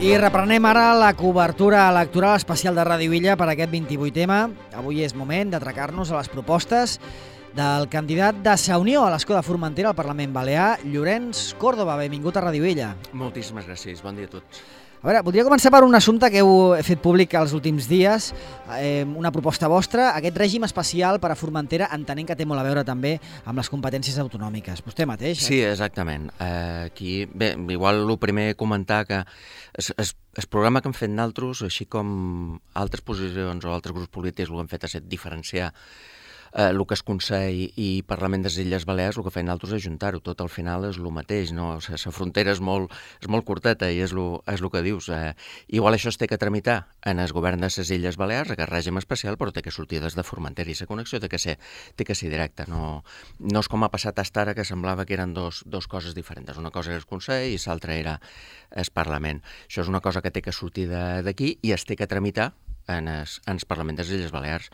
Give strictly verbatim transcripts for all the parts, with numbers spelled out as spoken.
I reprenem ara la cobertura electoral especial de Ràdio Illa per aquest vint-i-vuitè. Avui és moment d'atracar-nos a les propostes del candidat de Sa Unió a l'Escó de Formentera al Parlament Balear, Llorenç Córdoba. Benvingut a Ràdio Illa. Moltíssimes gràcies, bon dia a tots. A veure, voldria començar per un assumpte que heu fet públic els últims dies, eh, una proposta vostra, aquest règim especial per a Formentera, entenent que té molt a veure també amb les competències autonòmiques. Vostè mateix? Sí, exactament. Eh, aquí, bé, igual el primer comentar que es, es, el programa que hem fet nosaltres, així com altres posicions o altres grups polítics, el que hem fet ha estat diferenciar Eh, el que és Consell i Parlament de les Illes Balears, el que feien nosaltres és ajuntar-ho, tot al final és el mateix, no? O sigui, la frontera és molt, és molt curteta i és el és lo que dius. Eh, igual això es té que tramitar en el govern de les Illes Balears, aquest règim especial, però té que sortir des de Formentera i la connexió té que ser, té que ser directa. No, no és com ha passat fins ara, que semblava que eren dos, dos coses diferents. Una cosa era el Consell i l'altra era el Parlament. Això és una cosa que té que sortir d'aquí i es té que tramitar en el, en el Parlament de les Illes Balears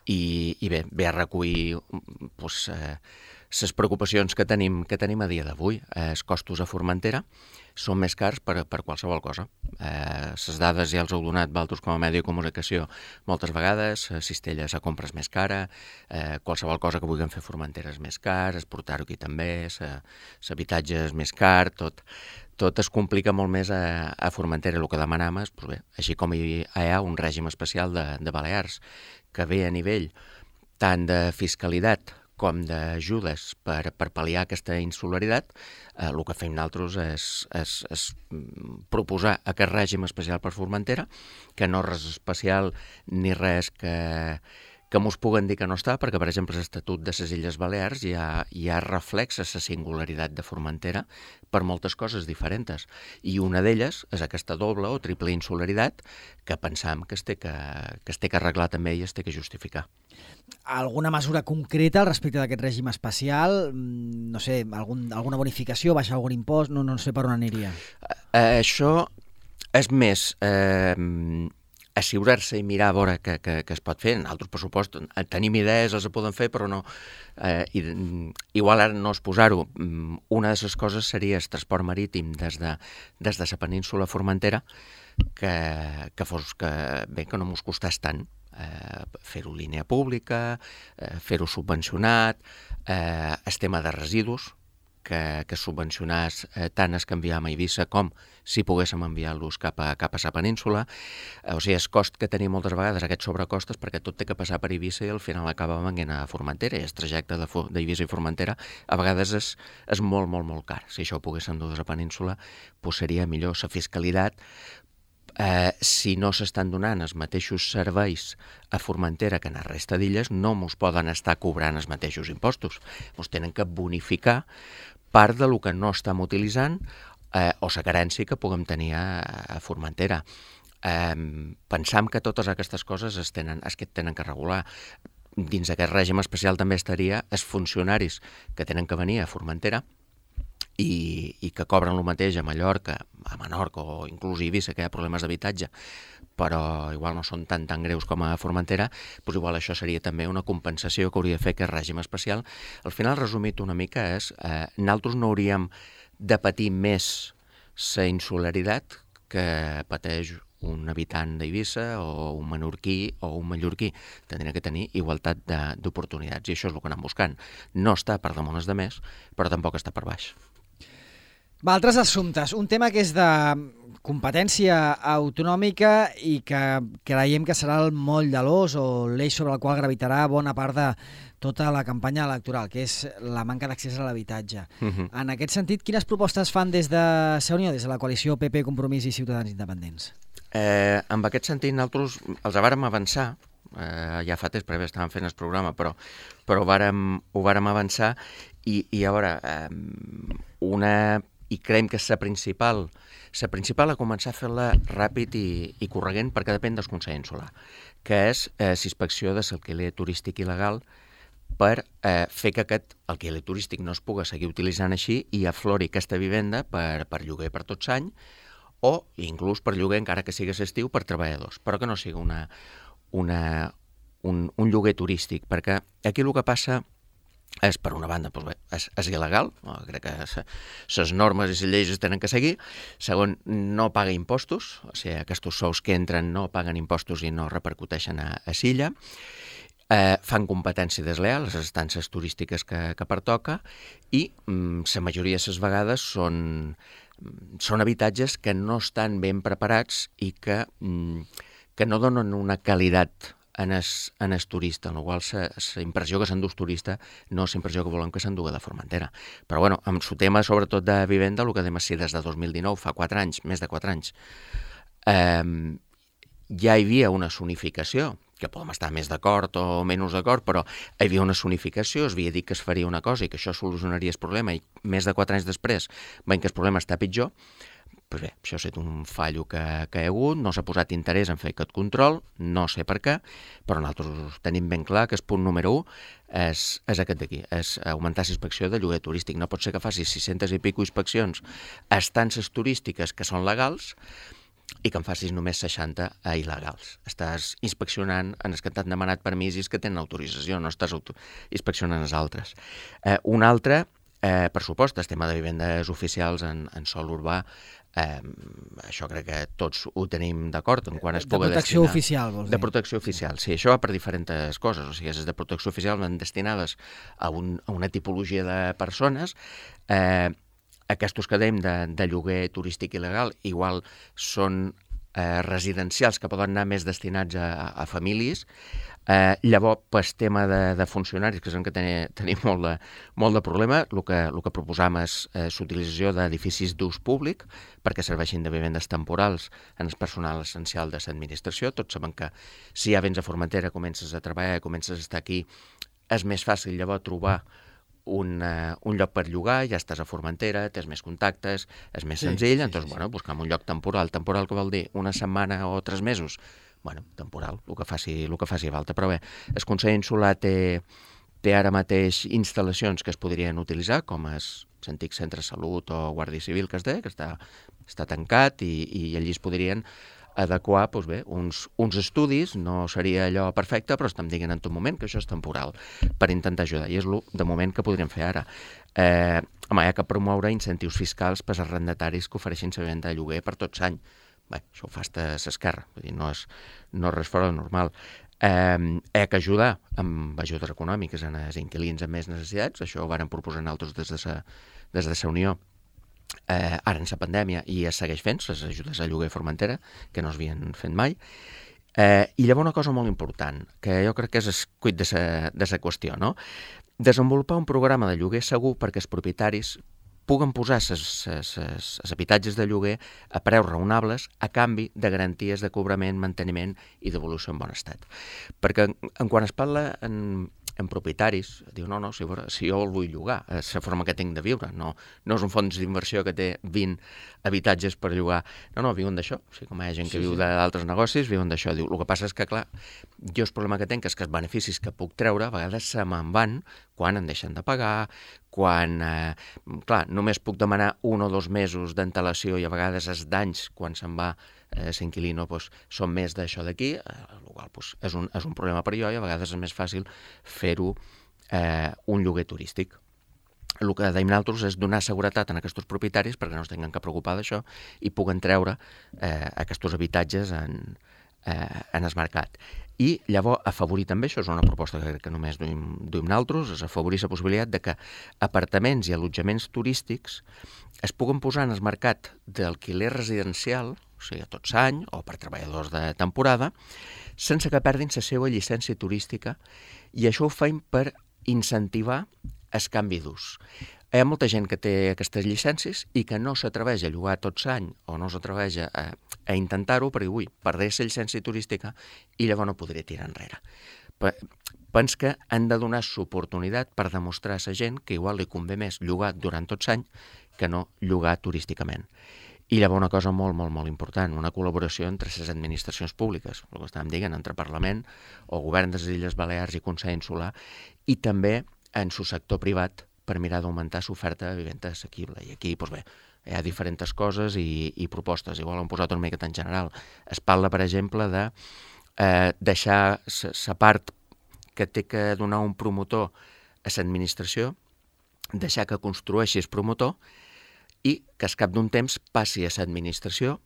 i, i bé, ve a recollir pues, eh, les preocupacions que tenim, que tenim a dia d'avui. Eh, els costos a Formentera són més cars per, per qualsevol cosa. Eh, les dades ja els heu donat vosaltres com a medi de comunicació moltes vegades, la cistella a compra és més cara, eh, qualsevol cosa que vulguem fer a Formentera és més car, exportar-ho aquí també, l'habitatge és més car, tot... Tot es complica molt més a, a Formentera. El que demanam és, doncs bé, així com hi ha un règim especial de, de Balears que ve a nivell tant de fiscalitat com d'ajudes per, per pal·liar aquesta insularitat, eh, el que fem nosaltres és, és, és proposar aquest règim especial per Formentera, que no és res especial ni res que... que mos puguen dir que no està, perquè, per exemple, l'Estatut de les Illes Balears ja, ja reflexa la singularitat de Formentera per moltes coses diferents. I una d'elles és aquesta doble o triple insularitat que pensam que es té que, que es té que arreglar també i es té que justificar. Alguna mesura concreta al respecte d'aquest règim especial? No sé, algun, alguna bonificació, baixar algun impost? No, no sé per on aniria. Eh, això és més... Eh, assegurar-se i mirar a veure què, què, què es pot fer. En altres pressupostos tenim idees, els poden fer, però no... Eh, i, igual ara no és posar-ho. Una de les coses seria el transport marítim des de, des de la península Formentera, que, que fos que, bé, que no mos costàs tant. Eh, fer-ho línia pública, eh, fer-ho subvencionat, eh, el tema de residus, que, que subvencionàs eh, tant es que enviam a Eivissa com si poguéssim enviar-los cap a, cap a la península. Eh, o sigui, el cost que tenim moltes vegades, aquests sobrecostes, perquè tot té que passar per Eivissa i al final acaba venint a Formentera, i el trajecte d'Eivissa i Formentera a vegades és, és molt, molt, molt car. Si això ho poguéssim dur a la península, pues seria millor. La fiscalitat, eh, si no s'estan donant els mateixos serveis a Formentera que en la resta d'illes, no mos poden estar cobrant els mateixos impostos. Mos tenen que bonificar part del que no estem utilitzant eh, o la carència que puguem tenir a, a Formentera. Eh, pensam que totes aquestes coses es tenen, es que tenen que regular. Dins aquest règim especial també estaria els funcionaris que tenen que venir a Formentera i, i que cobren el mateix a Mallorca, a Menorca o inclús a Eivissa, que hi ha problemes d'habitatge, però igual no són tan tan greus com a Formentera, doncs igual això seria també una compensació que hauria de fer aquest règim especial. Al final, resumit una mica, és eh, nosaltres no hauríem de patir més la insularitat que pateix un habitant d'Eivissa o un menorquí o un mallorquí. Tindria que tenir igualtat d'oportunitats i això és el que anem buscant. No està per damunt els de més, però tampoc està per baix. Va, altres assumptes. Un tema que és de competència autonòmica i que creiem que serà el moll de l'os o l'eix sobre el qual gravitarà bona part de tota la campanya electoral, que és la manca d'accés a l'habitatge. Uh-huh. En aquest sentit, quines propostes fan des de Sa Unió, des de la coalició P P, Compromís i Ciutadans Independents? Eh, en aquest sentit, nosaltres els vàrem avançar, eh, ja fa temps, perquè estàvem fent el programa, però, però vàrem, ho vàrem avançar i, i a veure, eh, una... i creiem que és la principal, la principal a començar a fer-la ràpid i, i corregent perquè depèn del Consell Insular, que és eh, l'inspecció de l'alquiler turístic il·legal per eh, fer que aquest alquiler turístic no es pugui seguir utilitzant així i aflori aquesta vivenda per, per lloguer per tot l'any o inclús per lloguer, encara que sigui estiu, per treballadors, però que no sigui una, una, un, un lloguer turístic, perquè aquí el que passa és, per una banda, doncs bé, és, és il·legal, no? Crec que les normes i les lleis es tenen que seguir. Segon, no paga impostos, o sigui, aquests sous que entren no paguen impostos i no repercuteixen a, a Silla. Eh, fan competència desleal, les estances turístiques que, que pertoca, i mm, la majoria de les vegades són, són habitatges que no estan ben preparats i que, mm, que no donen una qualitat en el, en el turista, en la qual la impressió que s'endú el turista no és la impressió que volem que s'endugui de Formentera. Però bueno, amb el tema sobretot de vivenda, el que dèiem així des de dos mil dinou, fa quatre anys, més de quatre anys, eh, ja hi havia una zonificació, que podem estar més d'acord o menys d'acord, però hi havia una zonificació, es havia dit que es faria una cosa i que això solucionaria el problema, i més de quatre anys després veiem que el problema està pitjor. Pues bé, això ha estat un fallo que, que hi ha hagut, no s'ha posat interès en fer aquest control, no sé per què, però nosaltres tenim ben clar que el punt número u és, és aquest d'aquí, és augmentar la inspecció de lloguer turístic. No pot ser que faci sis-centes i pico inspeccions a estances turístiques que són legals i que en facis només seixanta a il·legals. Estàs inspeccionant en els que t'han demanat permisos que tenen autorització, no estàs auto inspeccionant els altres. Eh, un altre, eh, per supost, el tema de vivendes oficials en, en sòl urbà. Eh, això crec que tots ho tenim d'acord en quan es pugui destinar. De protecció oficial, vols dir? De protecció oficial, sí. Això va per diferents coses. O sigui, les de protecció oficial van destinades a, un, a una tipologia de persones. Eh, aquests que dèiem de, de lloguer turístic il·legal igual són eh, residencials que poden anar més destinats a, a famílies. Eh, llavors, pel tema de, de funcionaris, que és en què tenim, tenim molt, de, molt de problema, el que, el que proposam és eh, l'utilització d'edificis d'ús públic perquè serveixin de vivendes temporals en el personal essencial de l'administració. Tots saben que si ja vens a Formentera, comences a treballar, comences a estar aquí, és més fàcil llavors trobar un, uh, un lloc per llogar, ja estàs a Formentera, tens més contactes, és més sí, senzill, sí, doncs sí, bueno, buscam un lloc temporal. Temporal que vol dir una setmana o tres mesos? Bueno, temporal, el que faci, el que faci falta. Però bé, el Consell Insular té, té ara mateix instal·lacions que es podrien utilitzar, com és l'antic Centre de Salut o Guàrdia Civil, que es deia, que està, està tancat, i, i allí es podrien adequar doncs bé, uns, uns estudis. No seria allò perfecte, però estem dient en tot moment que això és temporal, per intentar ajudar, i és el de moment que podríem fer ara. Eh, home, hi ha que promoure incentius fiscals per als arrendataris que ofereixin la venda de lloguer per tot l'any. Bé, això ho fa a l'esquerra, vull dir, no és, no és res fora del normal. Eh, hi ha que ajudar amb ajudes econòmiques en els inquilins amb més necessitats. Això ho varen proposar nosaltres des de sa, des de sa Unió, eh, ara en la pandèmia, i es segueix fent, les ajudes a lloguer a Formentera, que no s'havien fet mai. Eh, I llavors una cosa molt important, que jo crec que és el cuit de la qüestió, no? Desenvolupar un programa de lloguer segur perquè els propietaris puguen posar els habitatges de lloguer a preus raonables a canvi de garanties de cobrament, manteniment i devolució en bon estat. Perquè en quan es parla en, en propietaris, diu, no, no, si, si jo el vull llogar, és la forma que tinc de viure, no, no és un fons d'inversió que té vint habitatges per llogar, no, no, viuen d'això, o sigui, com hi ha gent que sí, viu sí. d'altres negocis, viuen d'això. Diu, el que passa és que, clar, jo el problema que tinc és que els beneficis que puc treure a vegades se me'n van quan em deixen de pagar, quan, eh, clar, només puc demanar un o dos mesos d'antelació i a vegades els danys quan se'n va eh, l'inquilino doncs, són més d'això d'aquí, eh, el qual doncs, és, un, és un problema per jo, i a vegades és més fàcil fer-ho eh, un lloguer turístic. El que deim nosaltres és donar seguretat a aquests propietaris perquè no es tinguin que preocupar d'això i puguen treure eh, aquests habitatges en, eh, en el mercat. I llavors afavorir també, això és una proposta que, que només duim, duim nosaltres, és afavorir la possibilitat de que apartaments i allotjaments turístics es puguen posar en el mercat d'alquiler residencial, o sigui, a tot l'any, o per treballadors de temporada, sense que perdin la seva llicència turística, i això ho feim per incentivar el canvi d'ús. Hi ha molta gent que té aquestes llicències i que no s'atreveix a llogar tot l'any o no s'atreveix a, a intentar-ho perquè, ui, perdré la llicència turística i llavors no podré tirar enrere. Pens que han de donar l'oportunitat per demostrar a la gent que igual li convé més llogar durant tot l'any que no llogar turísticament. I llavors una cosa molt, molt, molt important, una col·laboració entre les administracions públiques, el que estàvem dient, entre Parlament o Govern de les Illes Balears i Consell Insular, i també en el sector privat, per mirar d'augmentar l'oferta de vivenda assequible. I aquí, doncs bé, hi ha diferents coses i, i propostes. Igual hem posat una miqueta en general. Es parla, per exemple, de eh, deixar la part que té que donar un promotor a l'administració, deixar que construeixi el promotor i que al cap d'un temps passi a l'administració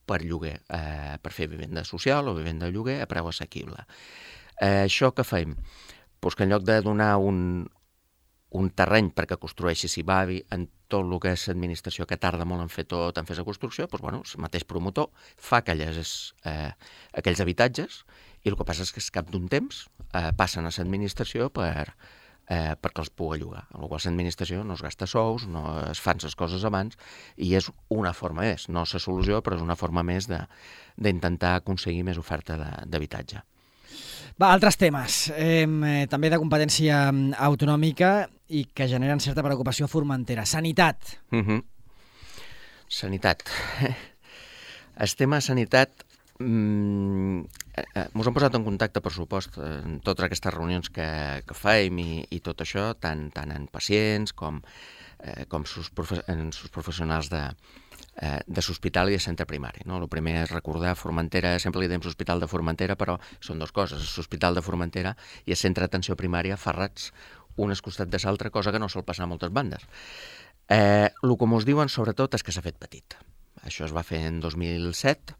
per lloguer, eh, per fer vivenda social o vivenda de lloguer a preu assequible. Eh, això què fem? Pues que en lloc de donar un, un terreny perquè construeixi s'hi bavi en tot el que és l'administració, que tarda molt en fer tot, en fer la construcció, doncs, bueno, el mateix promotor fa aquelles, eh, aquells habitatges i el que passa és que al cap d'un temps eh, passen a l'administració per, eh, perquè els pugui llogar. En la qual l'administració no es gasta sous, no es fan les coses abans i és una forma més, no és la solució, però és una forma més d'intentar aconseguir més oferta d'habitatge. Va, altres temes, eh, també de competència autonòmica i que generen certa preocupació a Formentera. Sanitat. Uh -huh. Sanitat. El tema sanitat mm, eh, mos han posat en contacte, per supost, en totes aquestes reunions que, que fem i, i tot això, tant, tant en pacients com, eh, com sus profe en sus professionals de, eh, de l'hospital i de centre primari. No? El primer és recordar Formentera, sempre li diem l'Hospital de Formentera, però són dues coses, l'Hospital de Formentera i el centre d'atenció primària ferrats un al costat de l'altre, cosa que no sol passar a moltes bandes. Eh, el que ens diuen, sobretot, és que s'ha fet petit. Això es va fer en dos mil set,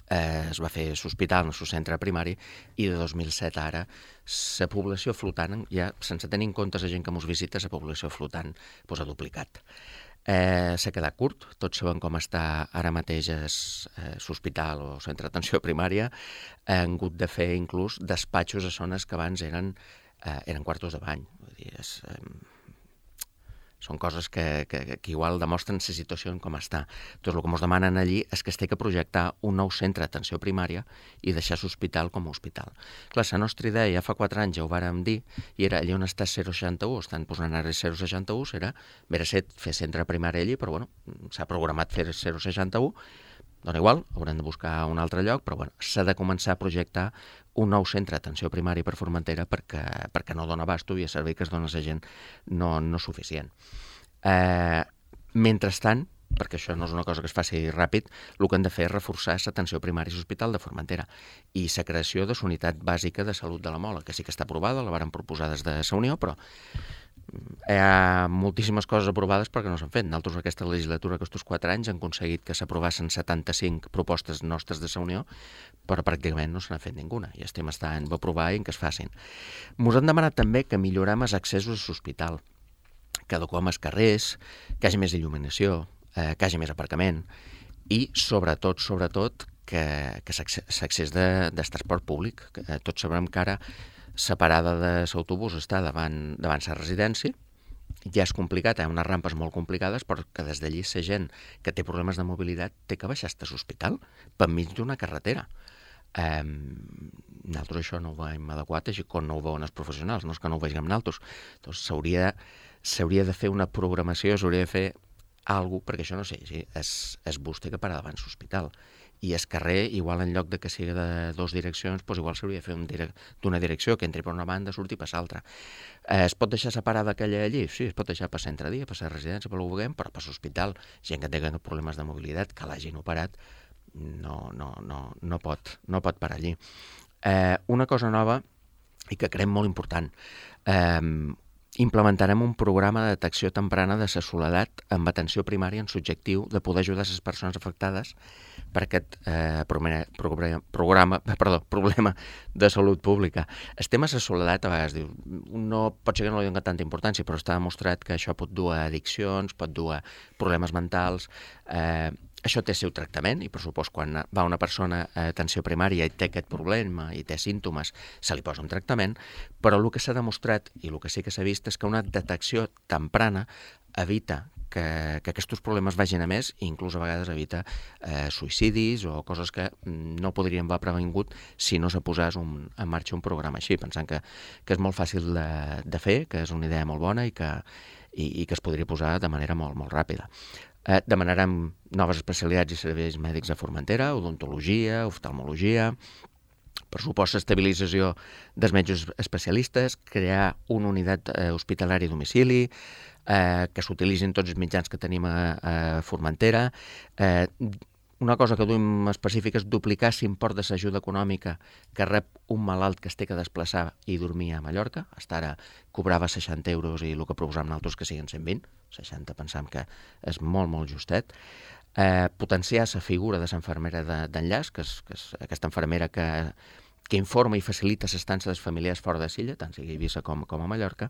eh, es va fer l'hospital, el centre primari, i de dos mil set ara, la població flotant, ja sense tenir en compte la gent que ens visita, la població flotant pues, ha duplicat. Eh, s'ha quedat curt, tots sabem com està ara mateix l'hospital o centre d'atenció primària, han hagut de fer inclús despatxos a zones que abans eren Eh, eren quartos de bany. Vull dir, és, eh, són coses que, que, que igual demostren la situació com està. Doncs el que ens demanen allí és que es té que projectar un nou centre d'atenció primària i deixar l'hospital com a hospital. Clar, la nostra idea ja fa quatre anys ja ho vàrem dir, i era allà on està zero seixanta u, estan posant ara zero seixanta u, era vera set fer centre primari allí, però bueno, s'ha programat fer zero seixanta u, dona igual, haurem de buscar un altre lloc, però bueno, s'ha de començar a projectar un nou centre d'atenció primari per Formentera perquè, perquè no dona abasto i el servei que es dona a la gent no, no és suficient. Eh, mentrestant, perquè això no és una cosa que es faci ràpid, el que hem de fer és reforçar l'atenció primària a l'Hospital de Formentera i la creació de la unitat bàsica de salut de la Mola, que sí que està aprovada, la varen proposar des de la Unió, però hi ha moltíssimes coses aprovades perquè no s'han fet. Nosaltres aquesta legislatura, aquests quatre anys, han aconseguit que s'aprovassin setanta-cinc propostes nostres de la Unió, però pràcticament no se n'ha fet ninguna. I estem estant a aprovar i en que es facin. Ens han demanat també que millorem els accessos a l'hospital, que adequem els carrers, que hi hagi més il·luminació, eh, que hi hagi més aparcament i, sobretot, sobretot, que, que l'accés de, de transport públic. Que, eh, tots sabrem que ara la parada de l'autobús està davant, davant la residència, ja és complicat, hi ha unes rampes molt complicades, però que des d'allí la gent que té problemes de mobilitat té que baixar a l'hospital per mig d'una carretera. Eh, nosaltres això no ho hem adequat, així com no ho veuen els professionals, no és que no ho vegem nosaltres. Doncs s'hauria s'hauria de fer una programació, s'hauria de fer alguna cosa, perquè això no sé, sí, és, és bus té que parar davant l'hospital. I el carrer, igual en lloc de que sigui de dues direccions, doncs igual s'hauria de fer un direc d'una direcció, que entri per una banda, surti per l'altra. Eh, es pot deixar separada aquella allí? Sí, es pot deixar per centre-dia, per la residència, per l'Ubuguem, però per l'hospital, gent que té problemes de mobilitat, que l'hagin operat, no, no, no, no, pot, no pot parar allí. Eh, una cosa nova i que creiem molt important, eh, implementarem un programa de detecció temprana de la soledat amb atenció primària en l'objectiu de poder ajudar les persones afectades per aquest eh, programa, programa, perdó, problema de salut pública. El tema de la soledat a vegades diu, no pot ser que no li doni tanta importància, però està demostrat que això pot dur a addiccions, pot dur a problemes mentals. Eh, això té el seu tractament i, per supost, quan va una persona a atenció primària i té aquest problema i té símptomes, se li posa un tractament, però el que s'ha demostrat i el que sí que s'ha vist és que una detecció temprana evita que, que aquests problemes vagin a més i inclús a vegades evita eh, suïcidis o coses que no podrien haver previngut si no se posés un, en marxa un programa així, pensant que, que és molt fàcil de, de fer, que és una idea molt bona i que, i, i que es podria posar de manera molt, molt ràpida. Eh, demanarem noves especialitats i serveis mèdics a Formentera, odontologia, oftalmologia, per supost estabilització dels metges especialistes, crear una unitat eh, hospitalària a domicili, eh, que s'utilitzin tots els mitjans que tenim a, a Formentera, eh, una cosa que duim específica és duplicar l'import de l'ajuda econòmica que rep un malalt que es té que desplaçar i dormir a Mallorca. Hasta ara cobrava seixanta euros i el que proposam nosaltres que siguin cent vint. seixanta pensam que és molt, molt justet. Eh, potenciar la figura de l'infermera d'enllaç, que és, que és aquesta infermera que, que informa i facilita l'estança dels familiars fora de l'illa, tant sigui a Eivissa com, com a Mallorca,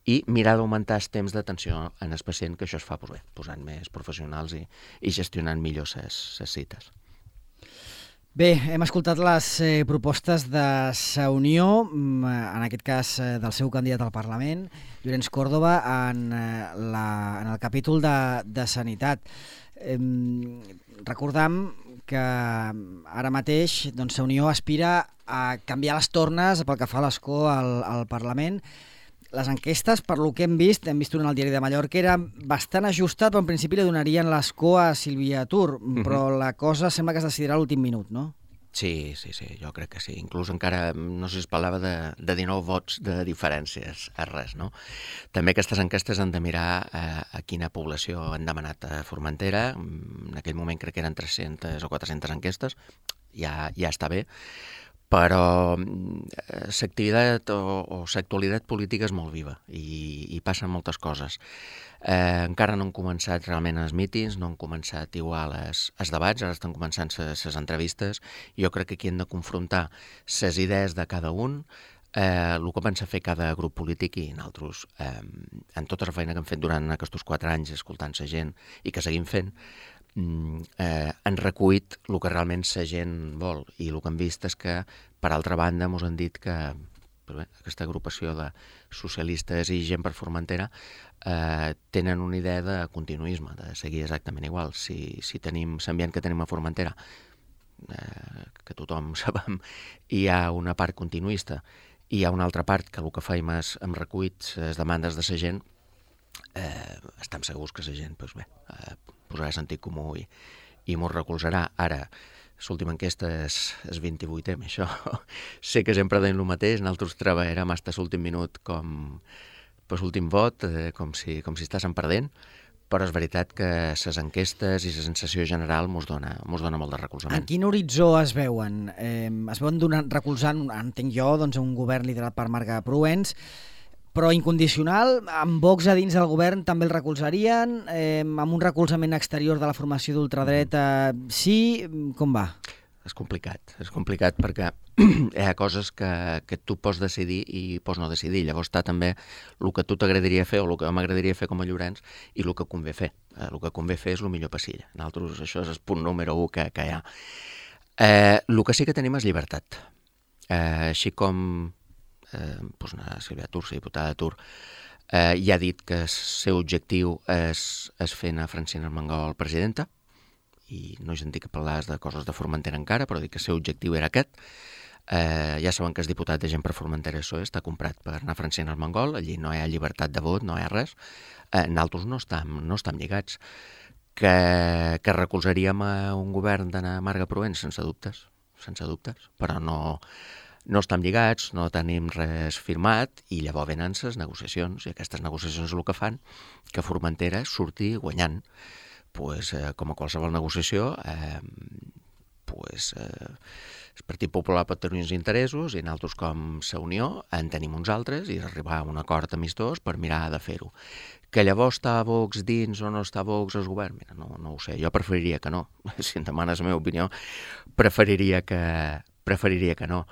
i mirar d'augmentar el temps d'atenció en el pacient, que això es fa pues bé, posant més professionals i, i gestionant millor les cites. Bé, hem escoltat les eh, propostes de la Unió, en aquest cas eh, del seu candidat al Parlament, Llorenç Córdoba, en, eh, la, en el capítol de, de Sanitat. Eh, recordam que ara mateix doncs, la Unió aspira a canviar les tornes pel que fa a l'escó al, al Parlament. Les enquestes, per lo que hem vist, hem vist una al Diari de Mallorca, era bastant ajustat, però en principi li donarien l'escó a Sílvia Tur, però la cosa sembla que es decidirà a l'últim minut, no? Sí, sí, sí, jo crec que sí. Inclús encara, no sé si es parlava de, de dinou vots de diferències a res, no? També aquestes enquestes han de mirar a, a quina població han demanat a Formentera. En aquell moment crec que eren tres-centes o quatre-centes enquestes, ja, ja està bé, però l'activitat o, o l'actualitat política és molt viva i, i passen moltes coses. Eh, encara no han començat realment els mítings, no han començat igual els, els debats, ara estan començant les entrevistes. Jo crec que aquí hem de confrontar les idees de cada un, eh, el que pensa fer cada grup polític i nosaltres, eh, en tota la feina que hem fet durant aquests quatre anys escoltant la gent i que seguim fent, Eh, han recuit el que realment la gent vol, i el que hem vist és que, per altra banda, ens han dit que bé, aquesta agrupació de socialistes i gent per Formentera eh, tenen una idea de continuisme, de seguir exactament igual. Si, si tenim l'ambient que tenim a Formentera, eh, que tothom sabem, hi ha una part continuista i hi ha una altra part que el que faim és hem recuit les demandes de la gent, eh, estem segurs que la gent pues bé, eh, posarà sentit comú i, i m'ho recolzarà. Ara, l'última enquesta és, és vint-i-vuitena, això sé que sempre deim el mateix, nosaltres treballarem fins a l'últim minut com per l'últim vot, eh, com si, com si estàssim perdent, però és veritat que les enquestes i la sensació general mos dona, mos dona molt de recolzament. En quin horitzó es veuen? Eh, es veuen donant, recolzant, entenc jo, doncs, un govern liderat per Marga Proens, però incondicional, amb Vox a dins del govern també el recolzarien, eh, amb un recolzament exterior de la formació d'ultradreta, sí? Com va? És complicat, és complicat perquè hi ha coses que, que tu pots decidir i pots no decidir. Llavors està també el que tu t'agradaria fer o el que m'agradaria fer com a Llorenç i el que convé fer. El que convé fer és el millor per Silla. Nosaltres això és el punt número un que, que hi ha. Eh, el que sí que tenim és llibertat. Eh, així com Eh, doncs la Sílvia Tur, la diputada Tur, eh, ja ha dit que el seu objectiu és, és fer a Francina Armengol presidenta, i no he sentit que parlaés de coses de Formentera encara, però dic que el seu objectiu era aquest. Eh, ja saben que el diputat de Gent per Formentera P S O E està comprat per anar a Francina Armengol, allí no hi ha llibertat de vot, no hi ha res. Eh, nosaltres no estem, no estem lligats. Que, que recolzaríem a un govern d'anar a Marga Proens, sense dubtes, sense dubtes, però no... No estem lligats, no tenim res firmat i llavors venen les negociacions i aquestes negociacions és el que fan que Formentera surti guanyant. Pues, eh, com a qualsevol negociació, eh, pues, eh, el Partit Popular pot tenir uns interessos i nosaltres com la Unió en tenim uns altres i arribar a un acord amistós per mirar de fer-ho. Que llavors està Vox dins o no està Vox al govern? Mira, no, no ho sé, jo preferiria que no. Si em demanes la meva opinió, preferiria que, preferiria que no.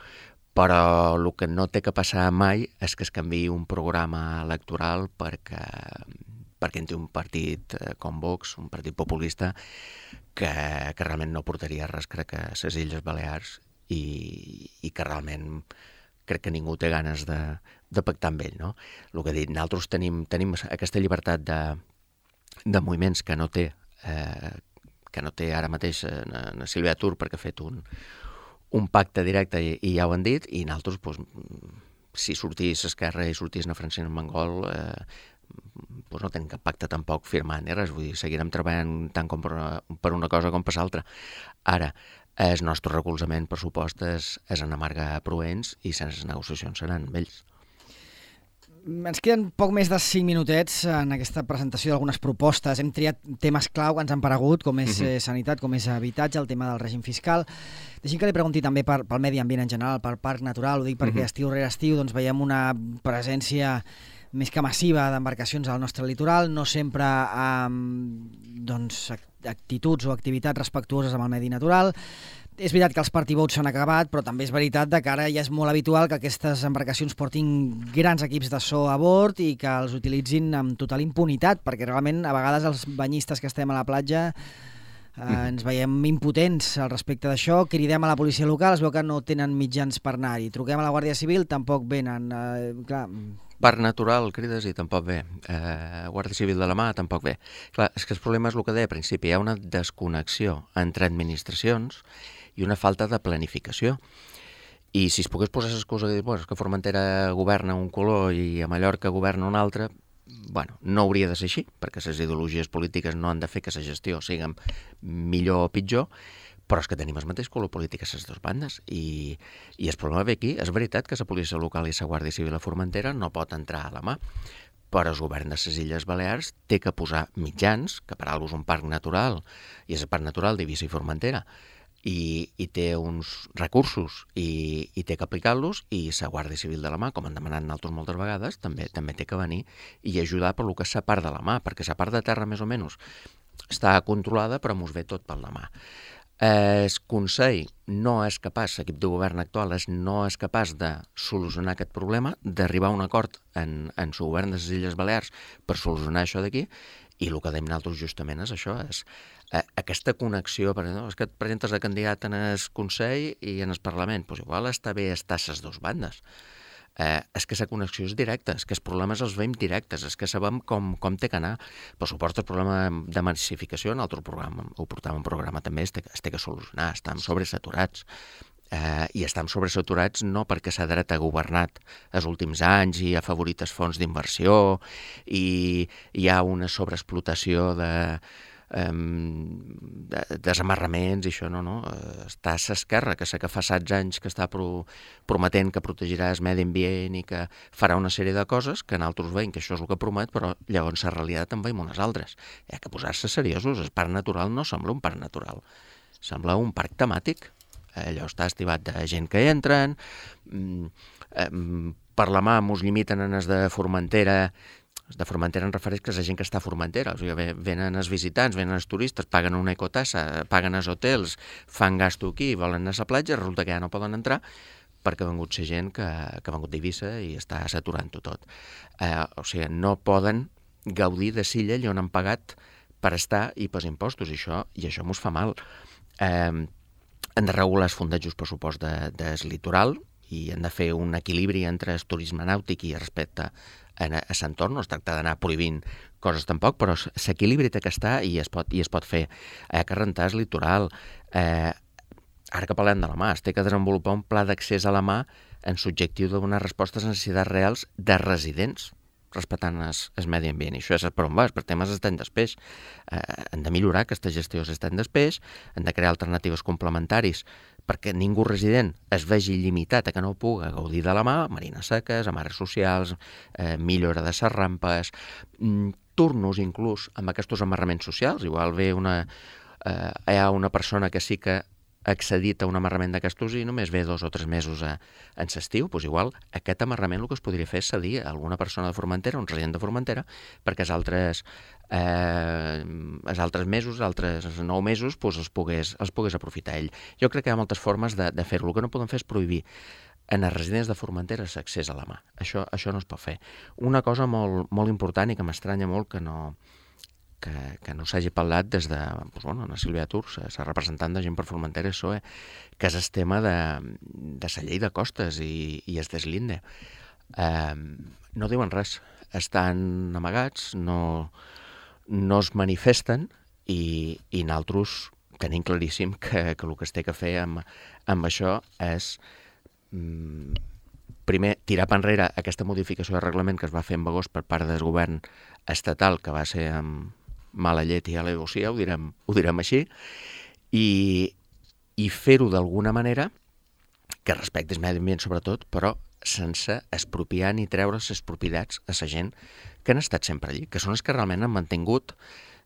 Però el que no té que passar mai és que es canviï un programa electoral perquè, perquè en té un partit com Vox, un partit populista, que, que realment no portaria res, crec, a les Illes Balears i, i que realment crec que ningú té ganes de, de pactar amb ell, no? El que he dit, nosaltres tenim, tenim aquesta llibertat de, de moviments que no té, eh, que no té ara mateix na, na Sílvia Tur perquè ha fet un un pacte directe i, i ja ho han dit, i nosaltres, doncs, si sortís Esquerra i sortís na Francina Armengol, eh, doncs no tenim cap pacte tampoc firmat ni res, vull dir, seguirem treballant tant com per una, per una cosa com per l'altra. Ara, el nostre recolzament, per supost, és, és en Marga Proens i sense negociacions seran amb ells. Ens queden poc més de cinc minutets en aquesta presentació d'algunes propostes. Hem triat temes clau que ens han paregut, com és uh-huh. sanitat, com és habitatge, el tema del règim fiscal. Deixi'm que li pregunti també per, pel medi ambient en general, pel parc natural. Ho dic perquè uh-huh. estiu rere estiu doncs, veiem una presència més que massiva d'embarcacions al nostre litoral, no sempre amb doncs, actituds o activitats respectuoses amb el medi natural. És veritat que els party boats s'han acabat, però també és veritat que ara ja és molt habitual que aquestes embarcacions portin grans equips de so a bord i que els utilitzin amb total impunitat, perquè realment a vegades els banyistes que estem a la platja eh, ens veiem impotents al respecte d'això, cridem a la policia local, es veu que no tenen mitjans per anar-hi, truquem a la Guàrdia Civil, tampoc venen. Eh, clar... Parc natural, crides, i tampoc ve. Eh, Guàrdia Civil de la mà, tampoc ve. Clar, és que el problema és el que deia al principi, hi ha una desconnexió entre administracions i una falta de planificació. I si es pogués posar l'excusa de dir, bueno, és que Formentera governa un color i a Mallorca governa un altre, bueno, no hauria de ser així, perquè les ideologies polítiques no han de fer que la gestió sigui millor o pitjor, però és que tenim el mateix color polític a les dues bandes. I, i el problema ve aquí. És veritat que la policia local i la Guàrdia Civil a Formentera no pot entrar a la mà, però el govern de les Illes Balears té que posar mitjans, que per alguna cosa és un parc natural, i és el parc natural d'Eivissa i Formentera, I, i té uns recursos i, i té que aplicar-los, i la Guàrdia Civil de la mà, com han demanat nosaltres moltes vegades, també també té que venir i ajudar per lo que és la part de la mà, perquè la part de terra més o menys està controlada, però mos ve tot per la mà. El Consell no és capaç, l'equip de govern actual és, no és capaç de solucionar aquest problema, d'arribar a un acord en, en el govern de les Illes Balears per solucionar això d'aquí, i el que dèiem nosaltres justament és això, és eh, aquesta connexió, per exemple, és que et presentes de candidat en el Consell i en el Parlament, doncs igual està bé estar a les dues bandes. Eh, és que la connexió és directa, és que els problemes els veiem directes, és que sabem com, com té que anar. Per supost, el problema de massificació, en altre programa, ho portàvem un programa també, es té, es té que solucionar, estem sobresaturats. Eh, i estem sobresaturats no perquè la dreta ha governat els últims anys i ha afavorit els fons d'inversió i hi ha una sobreexplotació de, um, de desamarraments i això, no, no. Està a l'esquerra, que sé que fa setze anys que està pro, prometent que protegirà el medi ambient i que farà una sèrie de coses que nosaltres veiem que això és el que promet, però llavors la realitat en veiem unes altres. Hi ha que posar-se seriosos. El parc natural no sembla un parc natural, sembla un parc temàtic. Allò està estivat de gent que entren, per la mà mos limiten en els de Formentera, els de Formentera en refereix que és la gent que està a Formentera, o sigui, venen els visitants, venen els turistes, paguen una ecotassa, paguen els hotels, fan gasto aquí, volen anar a la platja, resulta que ja no poden entrar perquè ha vengut la gent que, que ha vengut d'Eivissa i està saturant-ho tot. Eh, o sigui, no poden gaudir de Silla allà on han pagat per estar i pels impostos, i això, i això mos fa mal. Eh, han de regular els fondejos pressupost de, del litoral i han de fer un equilibri entre el turisme nàutic i respecte a, a l'entorn. No es tracta d'anar prohibint coses tampoc, però l'equilibri té que estar i es pot, i es pot fer. Hi ha que rentar el litoral. Eh, ara que parlem de la mà, es té que desenvolupar un pla d'accés a la mà en l'objectiu de donar respostes a necessitats reals de residents, respectant el medi ambient. I això és per on va, per temes estan després. Eh, han de millorar aquesta gestió estan després, han de crear alternatives complementaris perquè ningú resident es vegi limitat a que no puga gaudir de la mà, marines seques, amarres socials, eh, millora de les rampes, mm, turnos inclús amb aquests amarraments socials. Igual ve una, eh, hi ha una persona que sí que ha accedit a un amarrament d'aquestos i només ve dos o tres mesos a, en l'estiu, doncs igual aquest amarrament el que es podria fer és cedir a alguna persona de Formentera, un resident de Formentera, perquè els altres, eh, els altres mesos, els altres nou mesos, doncs els pogués, els pogués aprofitar ell. Jo crec que hi ha moltes formes de, de fer-ho. El que no podem fer és prohibir en els residents de Formentera l'accés a la mà. Això, això no es pot fer. Una cosa molt, molt important i que m'estranya molt que no... que, que no s'hagi parlat des de, doncs, bueno, la Sílvia Turs, la representant de Gent per Formentera, S O E, que és el tema de, de la llei de costes i, i es deslinde. Eh, no diuen res, estan amagats, no, no es manifesten i, i nosaltres tenim claríssim que, que el que es té que fer amb, amb això és mm, primer tirar per enrere aquesta modificació de reglament que es va fer en agost per part del govern estatal, que va ser amb mala llet i alegosia, ho direm, ho direm així, i, i fer-ho d'alguna manera que respecti el medi ambient sobretot, però sense expropiar ni treure les propietats a la gent que han estat sempre allí, que són els que realment han mantingut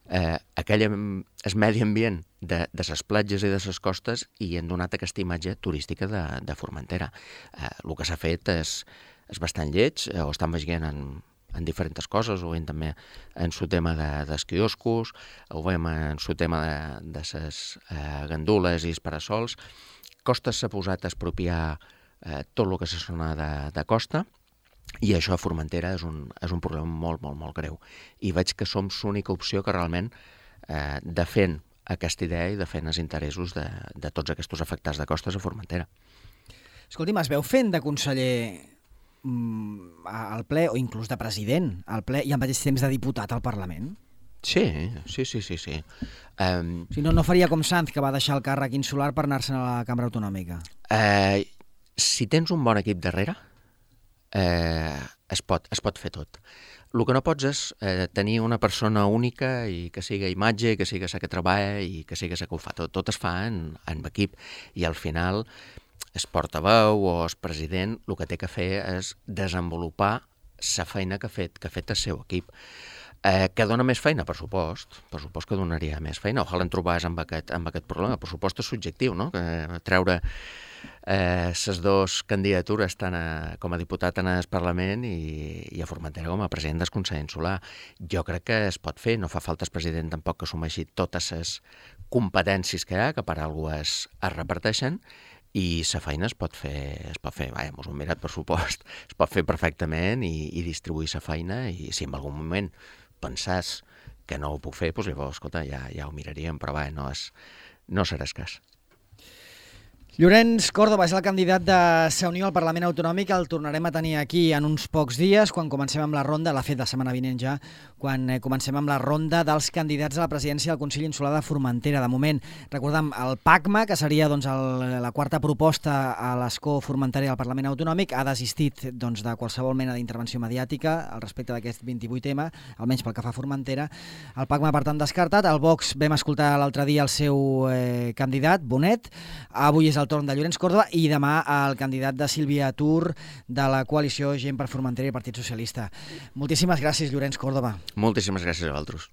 eh, aquell el medi ambient de, de les platges i de les costes i han donat aquesta imatge turística de, de Formentera. Eh, el que s'ha fet és, és bastant lleig, eh, ho estan veient en, en diferents coses, ho veiem també en el tema de, dels quioscos, ho veiem en el tema de, de les eh, gandules i els parasols. Costes s'ha posat a expropiar eh, tot el que se sona de, de costa, i això a Formentera és un, és un problema molt, molt, molt greu. I veig que som l'única opció que realment eh, defèn aquesta idea i defèn els interessos de, de tots aquests afectats de costes a Formentera. Escolti'm, es veu fent de conseller mm, al ple, o inclús de president al ple, i al mateix temps de diputat al Parlament? Sí, sí, sí, sí. sí. Um, si no, no faria com Sanz, que va deixar el càrrec insular per anar-se'n a la cambra autonòmica. Eh, si tens un bon equip darrere, Eh, es, pot, es pot fer tot. El que no pots és eh, tenir una persona única i que siga imatge, que siga la que treballa i que siga la que ho fa tot. Tot es fa en, en equip i al final el portaveu o el president el que té que fer és desenvolupar la feina que ha fet, que ha fet el seu equip. Eh, que dona més feina, per supost, per supost que donaria més feina. Ojalà en trobés amb aquest, amb aquest problema. Per supost és subjectiu, no? Que treure les eh, dues candidatures tant a, com a diputat en el Parlament i, i a Formentera com a president del Consell Insular. Jo crec que es pot fer, no fa falta el president tampoc que assumeixi totes les competències que hi ha, que per alguna cosa es, es reparteixen, i la feina es pot fer, es pot fer, vaja, mos ho hem mirat per supost, es pot fer perfectament i, i distribuir la feina, i si en algun moment pensàs que no ho puc fer, doncs llavors, escolta, ja, ja ho miraríem, però vaja, no, és, no serà escàs. Llorenç Córdoba és el candidat de Sa Unió al Parlament Autonòmic. El tornarem a tenir aquí en uns pocs dies, quan comencem amb la ronda, l'ha fet la setmana vinent ja, quan comencem amb la ronda dels candidats a la presidència del Consell Insular de Formentera. De moment, recordem, el PACMA, que seria doncs, el, la quarta proposta a l'escó formentari al Parlament Autonòmic, ha desistit doncs, de qualsevol mena d'intervenció mediàtica al respecte d'aquest vint-i-vuit ema, almenys pel que fa a Formentera. El PACMA, per tant, descartat. El Vox, vam escoltar l'altre dia el seu eh, candidat, Bonet. Avui és el torn de Llorenç Córdoba i demà el candidat de Sílvia Tur de la coalició Gent per Formentera i Partit Socialista. Moltíssimes gràcies, Llorenç Córdoba. Moltíssimes gràcies a vosaltres.